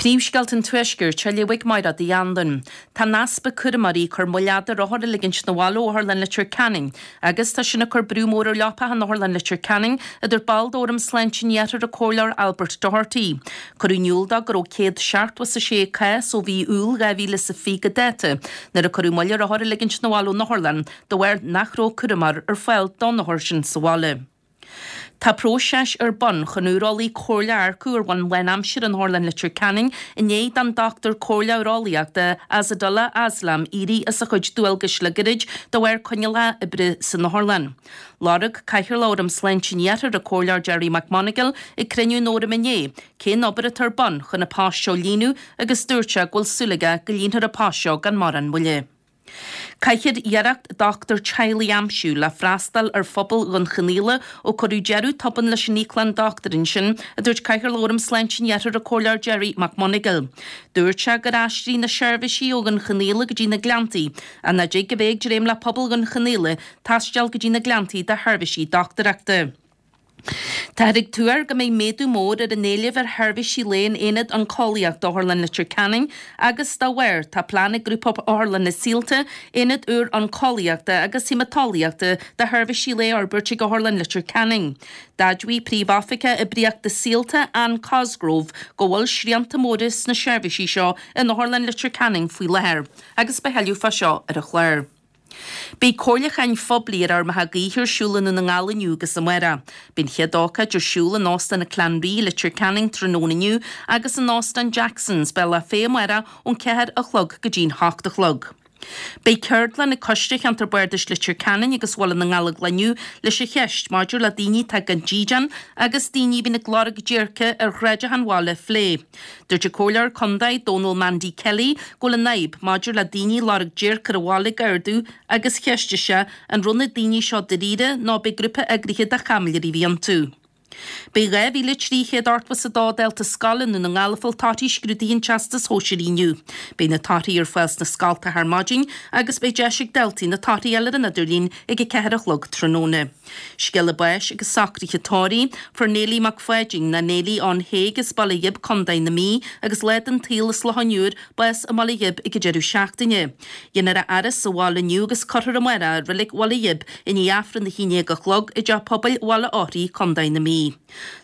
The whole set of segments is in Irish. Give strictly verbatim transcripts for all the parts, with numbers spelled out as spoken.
Príomhscéalta an Tuaiscirt á léamh ag Máire Uí Anluain. Tá an easpa cúramóirí ag cur moill fhada ar othair a ligint 'na bhaile ó Otharlann Leitir Ceanainn agus tá sin ag cur brú mór ar leapacha in Otharlann Leitir Ceanainn, a dúirt ball d'Fhóram Sláinte an Iarthair, an Comhairleoir Albert Doherty. Cuireadh in iúl dó go raibh céad seachtó is a sé cás ó mhí Iúil dhá mhíle is a fiche go dáta nuair a cuireadh moill ar othair a ligint 'na bhaile ón otharlann de bharr nach raibh cúramóir ar fáil don othar sin sa bhaile. Tá próiseas ar bun chun ureolaí comhairleach a earcú ar bhonn lánaimseartha in Otharlann Leitir Ceanainn i ndiaidh don dochtúir comhairleach ureolaíochta Asadullah Aslam éirí as a chuid dualgais le gairid de bharr coinníollacha oibre san otharlann. Lorg Cathaoirleach Fhóram Sláinte an Iarthair, an Comhairleoir Gerry McMonagall, ag cruinniú an Fhóraim inné cén obair atá ar bun chun an post seo a líonadh agus dúirt sé go bhfuil súil aige go líonfar an post seo gan mórán moille. Caithfear iarracht dochtúir teaghlaigh a aimsiú le freastal ar phobal Dhún Chonaill ó cuireadh deireadh tobann leis an íoclann dochtúir ansin, a dúirt Cathaoirleach Fhóram Sláinte an Iarthair, an Comhairleoir Gerry McMonagall. Dúirt sé gur aistrigh na seirbhísí ó Dhún Chonaill go dtí na Gleanntaí, ach nach dtig a bheith ag dréim le pobal Dhún Chonaill taisteal go dtí na Gleanntaí do sheirbhísí dochtúireachta. Táthar ag tuar go mbeidh méadú mór ar an éileamh ar sheirbhísí lae in Aonad Oncólaíochta Otharlann Leitir Ceanainn agus dá bharr tá plean ag Grúpa Otharlanna Saolta aonad úr oncólaíochta agus haemaiteolaíochta do sheirbhísí lae a fhorbairt ag Otharlann Leitir Ceanainn. D'admhaigh Príomh-Oifigeach Oibríochta Saolta, Anne Cosgrove, go bhfuil srianta móra sna seirbhísí seo in Otharlann Leitir Ceanainn faoi láthair agus beidh tuilleadh fá seo ar an chlár. Beidh comhairliúcháin phoiblí ar fheirmeacha gaoithe ar siúl i nDún na nGall inniu agus amárach. Beidh an chéad ócáid ar siúl in Óstán an Clanree, Leitir Ceanainn tráthnóna inniu agus in Óstán Jacksons, Bealach Féich amárach ón ceathair a chlog go dtí'n hocht a chlog. Beidh ceardlann ag Coiste Cheantar Bardais Leitir Ceanainn agus Bhaile na nGallóglach inniu leis an cheist maidir le daoine atá gan dídean agus daoine a bhíonn ag lorg déirce ar shráideacha an bhaile a phlé. Dúirt an Comhairleoir Contae Dónal Mandy Kelly go bhfuil an fhadhb maidir le daoine ag lorg déirce ar an bhaile ag ardú agus cheistigh sé an raibh na daoine seo dáiríre nó ab é grúpa eagraithe de chaimiléirí a bhí iontu. Beidh dhá mhíle trí chéad ochtó is a dó dalta scoile i nDún na nGall ag fáil torthaí scrúduithe an Teastais Shóisearaigh inniu. Beidh na torthaí ar fáil sna scoltacha ar maidin agus beidh deis ag daltaí na torthaí a fháil ar an idirlíon ag a ceathair a chlog tráthnóna. Scéala báis agus socruithe tórraimh, Fuair Neilí Mac Pháidín, nó Neilí Ann Thaidhg as Baile Ghib, Contae na Mí, agus lá den tsaol as Loch an Iúir, bás i mBaile Ghib ag an deireadh seachtaine. Déanfar a fhaire sa bhaile inniu agus cuirfear amárach i Reilig Bhaile Ghib i ndiaidh Aifreann a haon déag a chlog i dTeach Pobail Bhaile Eochraí, Contae na Mí.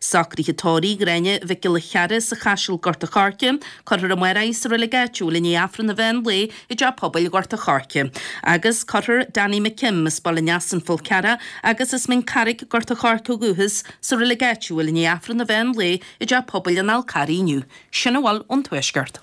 Socruithe tórraimh Ghráinne Mhic Giolla Chearra sa Chaiseal Gort a' Choirce, cuirfear amárach í sa reilig áitiúil i ndiaidh Aifreann an mheán lae i dTeach Pobail Ghort a' Choirce. Agus cuirfear Danny McKim as Baile Neasáin Fál Carrach agus as Mín Carraig Gort a' Choirce ó dhúchas sa reilig áitiúil i ndiaidh Aifreann an mheán lae i dTeach Pobail an Fhál Carraigh inniu. Sin a bhfuil ón Tuaisceart.